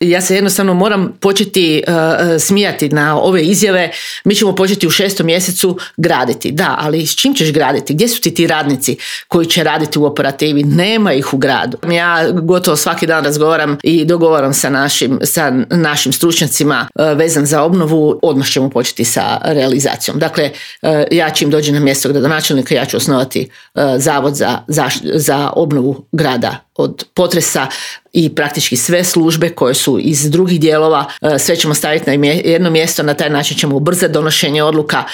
Ja se jednostavno moram početi smijati na ove izjave. Mi ćemo početi u 6. mjesecu graditi. Da, ali s čim ćeš graditi? Gdje su ti radnici koji će raditi u operativi? Nema ih u gradu. Ja gotovo svaki dan razgovaram i dogovaram sa našim stručnjacima vezan za obnovu. Odmah ćemo početi sa realizacijom. Dakle, ja čim dođem na mjesto gradonačelnika, ja ću osnovati zavod za obnovu grada od potresa i praktički sve službe koje su iz drugih dijelova, sve ćemo staviti na jedno mjesto, na taj način ćemo ubrzati donošenje odluka